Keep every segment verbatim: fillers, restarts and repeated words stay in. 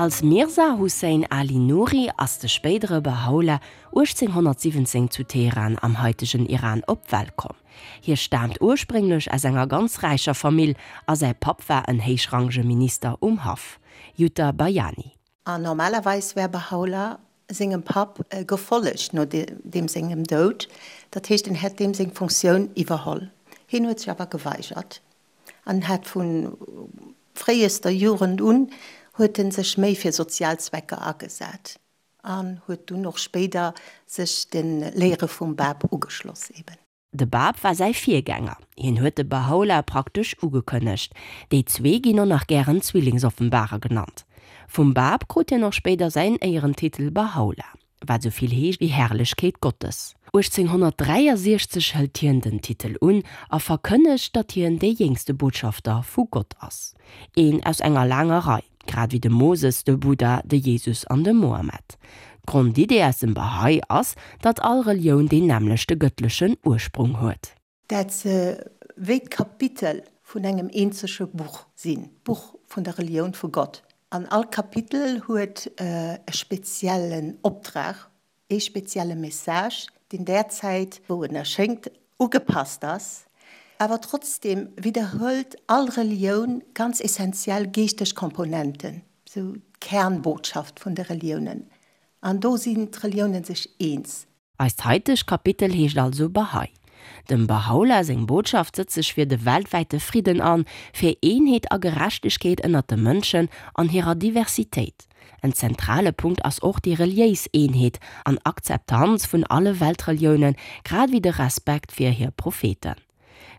Als Mirza Hussein Ali Nuri ass de spéidere Bahá'u'lláh uechtzénghonnertsiwwenzéng zu Teheran am haitegen Iran op d'Welt komm. Hie staamt ursprénglech aus enger ganz räicher Famill a säi Papp war en héichrangege Minister um Haff. Jutta Bayani. An normalerweis wär Bahá'u'lláh sengem Papp gefollegt no deem sengem Doud, dat heescht en hätt deem seng Funktioun iwwerholl. Hien huet sech awer geweigert an hat vu fréiester Jugend un huet en sech méi fir sozial Zwecker agesat an huet dunn och spéider sech de Léiere vum Báb ugeschloss eben. De Báb war säi Virgänger, hien huet de Bahá'u'lláh praktesch ugekënnegt. Déi zwee ginn och nach gären Zwillingsoffenbarer genannt. Vum Báb krut hien och spéider säin Éierentitel Bahá'u'lláh, wat sou vill heescht wéi Herrlechkeet Gottes. uechtzénghonnertdräiasiechzeg hëlt hien den Titel un a verkënnegt, datt hien dee jéngste Botschafter vu Gott ass. Een aus enger laanger Rei, grad wéi de Moses, de Buddha, de Jesus an de Mohammed. D'Grondidee aus dem Bahá'í ass, datt all Relioun deen nämmlechte gëttlechen Ursprung huet. Dat se wéi d'Kapitel vun engem eenzege Buch sinn, d'Buch vun der Relioun vu Gott. An all Kapitel huet e speziellen Optrag, ee spezielle Message, deen där Zäit, wou en erschéngt, ugepasst ass. Awer trotzdeem widderhëlt all Relioun ganz essenziell geeschteg Komponenten, sou d'Kernbotschaft vun de Reliounen. An do sinn d'Reliounen sech eens. Eist haitegt Kapitel heescht also Bahá'í. Dem Bahá'u'lláh seng Botschaft sëtzt sech fir de weltwäite Fridden an, fir Eenheet a Gerechtegkeet ënnert de Mënschen an hirer Diversitéit. En zentrale Punkt ass och déi reliéis Eenheet an Akzeptanz vun alle Weltreliounen, grad ewéi de Respekt fir hir Propheten.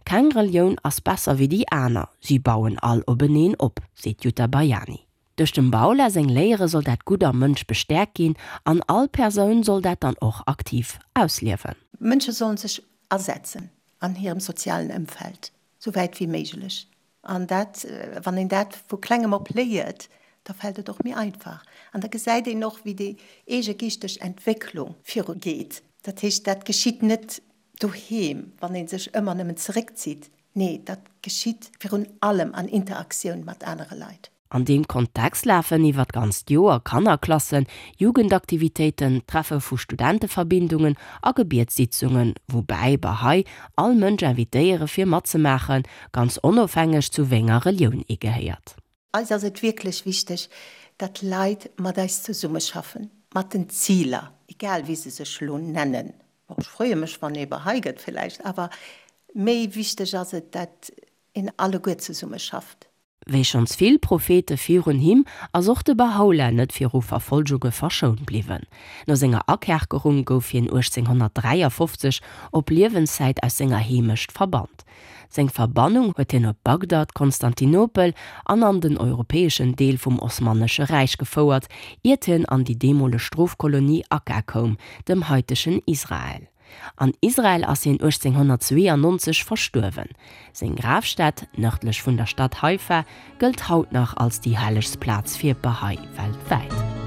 Keng Relioun ass besser wéi déi aner, si bauen all openeen op, seet d'Jutta Bayani. Duerch dem Bahá'u'lláh seng Léiere soll dat Gutt am Mënsch bestäerkt ginn an all Persoun soll dat dann och aktiv ausliewen. Mënsche sollen sech asetzen an hirem sozialen Ëmfeld, sou wäit wéi méiglech. An dat, wann een dat vu klengem op léiert, da fält et och méi einfach. An da gesäit een och, wéi déi eege geeschteg Entwécklung viru geet. Dat heescht, dat geschitt net doheem, wann ee sech ëmmer nëmmen zeréckzitt. Nee, dat geschitt virun allem an Interaktioun mat anere Leit. An deem Kontext lafen iwwer d'ganzt Joer Kannerklassen, Jugendaktivitéiten, Treffe vu Studenteverbindungen a Gebietssitzungen, woubäi Bahá'í all Mënsch invitéiere fir matzemaachen, ganz onofhängeg zu wéi enger Relioun ee gehéiert. Eis ass et wierklech wichteg, datt Leit mat eis zesummeschaffen, mat den Ziler, egal wéi se sech elo nennen. Bon, ech freeë mech, wann ee Bahá'í gëtt villäicht, awer méi wichteg ass et, datt een alleguer zesummeschafft. Wéi schonns vill Prophete virun him, ass och de Bahá'u'lláh net viru Verfolgunge verschount bliwwen. No senger Akerkerung gouf hien uechtzénghonnertdräiafofzeg op Liewenszäit aus senger Heemecht verbannt. Seng Verbannung huet hien op Bagdad, Konstantinopel an an den europäeschen Deel vum Osmanesche Räich gefouert, iert hien an déi deemoleg Strofkolonie Akka koum, dem haitegen Israel. An Israel ass hien uechtzénghonnertzweeanonzeg verstuerwen. Seng Grafstätt, nërdlech vun der Stad Haifa, gëllt haut nach als déi hellegst Plaz fir Bahá'í weltwäit.